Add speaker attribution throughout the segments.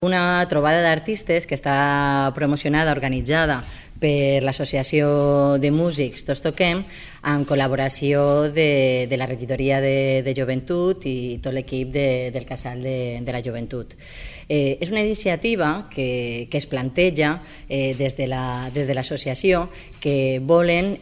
Speaker 1: Una trobada d'artistes que està promocionada, organitzada per l'Associació de Músics Tots Toquem, amb col·laboració de la Regidoria de Joventut i tot l'equip del Casal de la Joventut. És una iniciativa que es planteja des de l'associació, que volen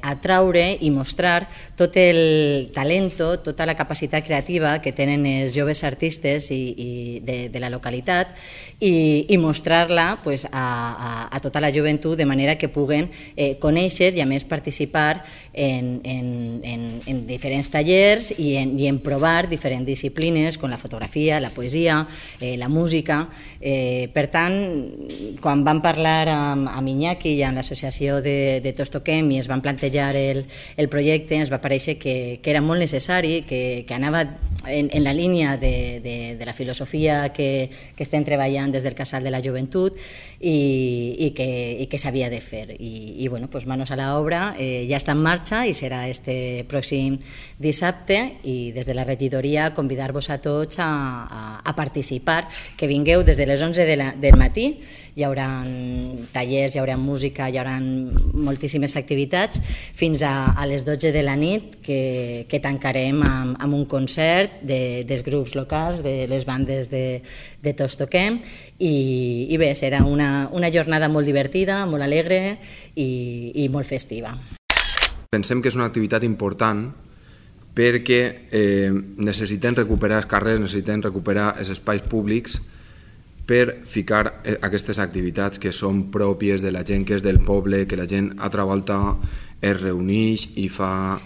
Speaker 1: atraure i mostrar tot el talento, tota la capacitat creativa que tenen els joves artistes de la localitat i mostrar-la a tota la joventut de manera que puguen conèixer i a més participar en diferents tallers i en provar diferents disciplines com la fotografia, la poesia, la música. Per tant, quan vam parlar amb Iñaki i amb l'associació de Tots Toquem i es van plantejar el projecte, ens va parèixer que era molt necessari, que anava en la línia de la filosofia que estem treballant des del Casal de la Joventut i que s'havia de fer. I bueno, manos a l'obra, ja està en marxa i serà este pròxim dissabte, i des de la regidoria convidar-vos a tots a participar, que vingueu des de les 11 del matí. Hi haurà tallers, hi haurà música, hi haurà moltíssimes activitats, fins a les 12 de la nit, que tancarem amb un concert dels grups locals, de les bandes de Tots Toquem, i bé, serà una jornada molt divertida, molt alegre i molt festiva.
Speaker 2: Pensem que és una activitat important perquè necessitem recuperar els carrers, necessitem recuperar els espais públics per ficar aquestes activitats que són pròpies de la gent que és del poble, que la gent altra volta es reuneix i fa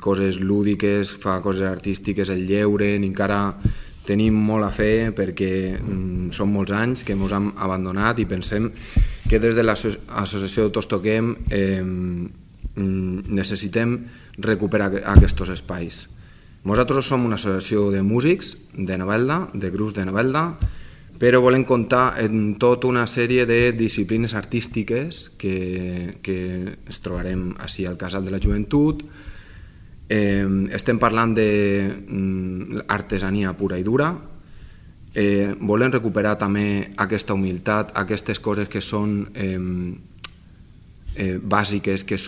Speaker 2: coses lúdiques, fa coses artístiques, el lleure. Encara tenim molt a fer perquè són molts anys que ens hem abandonat i pensem que des de l'associació de Tots Toquem necessitem recuperar aquests espais. Nosaltres som una associació de músics de Novelda, de grups de Novelda, però volem comptar en tota una sèrie de disciplines artístiques que ens trobarem així al Casal de la Joventut. Estem parlant d'artesania pura i dura. Volem recuperar també aquesta humilitat, aquestes coses que són bàsiques, que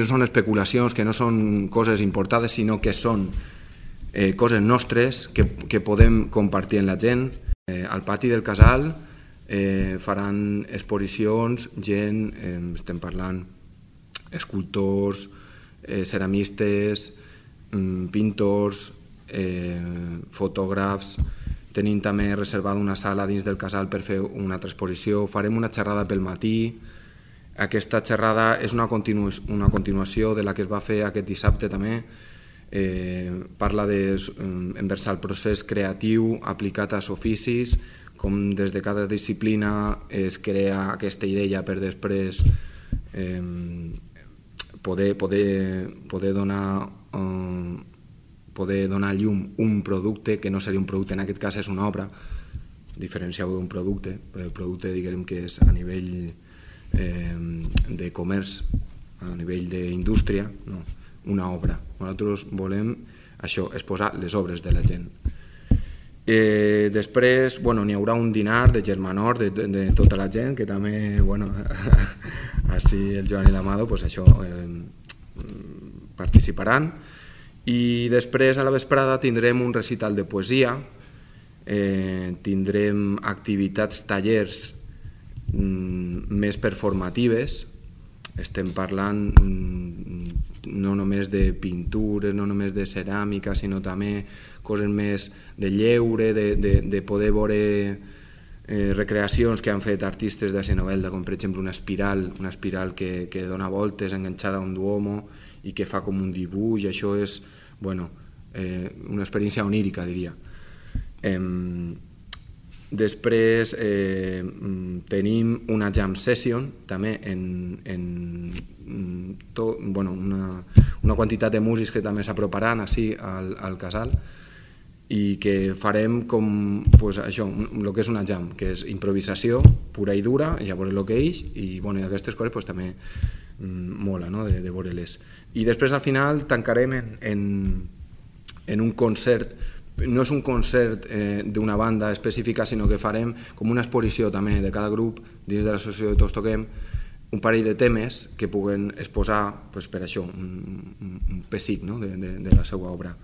Speaker 2: no són especulacions, que no són coses importades, sinó que són coses nostres que podem compartir amb la gent. Al pati del casal faran exposicions, gent, estem parlant escultors, ceramistes, pintors, fotògrafs. Tenim també reservada una sala dins del casal per fer una altra exposició. Farem una xerrada pel matí. Aquesta xerrada és una continuació de la que es va fer aquest dissabte també. Parla d'enversar el procés creatiu aplicat als oficis, com des de cada disciplina es crea aquesta idea per després poder donar a llum un producte que no seria un producte, en aquest cas és una obra, diferencieu d'un producte, però el producte diguem que és a nivell de comerç, a nivell d'indústria, no, una obra. Nosaltres volem això, exposar les obres de la gent. Després n'hi haurà un dinar de germanor de tota la gent, que també, així el Joan i l'Amado això participaran. I després a la vesprada tindrem un recital de poesia, tindrem activitats, tallers més performatives. Estem parlant no només de pintures, no només de ceràmica, sinó també coses més de lleure, de poder veure recreacions que han fet artistes de Novelda, com per exemple una espiral que dona voltes enganxada a un duomo i que fa com un dibuix. Això és una experiència onírica, diria. Després tenim una jam session també una quantitat de músics que també s'aproparan així al casal i que farem com això, el que és una jam, que és improvisació pura i dura, i a veure el que és, i aquestes coses també mola de veure-les. I després al final tancarem en un concert. No és un concert d'una banda específica, sinó que farem com una exposició també de cada grup dins de l'associació de Tots Toquem, un parell de temes que puguen exposar per això, un pessic de la seva obra.